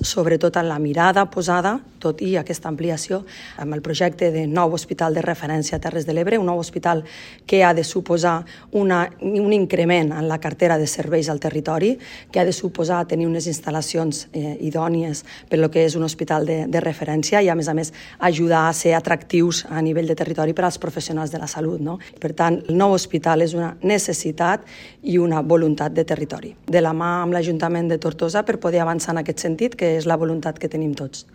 sobretot en la mirada posada, tot i aquesta ampliació, amb el projecte de nou hospital de referència a Terres de l'Ebre, un nou hospital que ha de suposar un increment en la cartera de serveis al territori, que ha de suposar tenir unes instal·lacions idònies per lo que és un hospital de referència i, a més, ajudar a ser atractius a nivell de territori per als professionals de la salut, no? Per tant, el nou hospital és una necessitat i una voluntat de territori, de la mà amb l'Ajuntament de Tortosa per poder avançar en aquest sentit, que és la voluntat que tenim tots.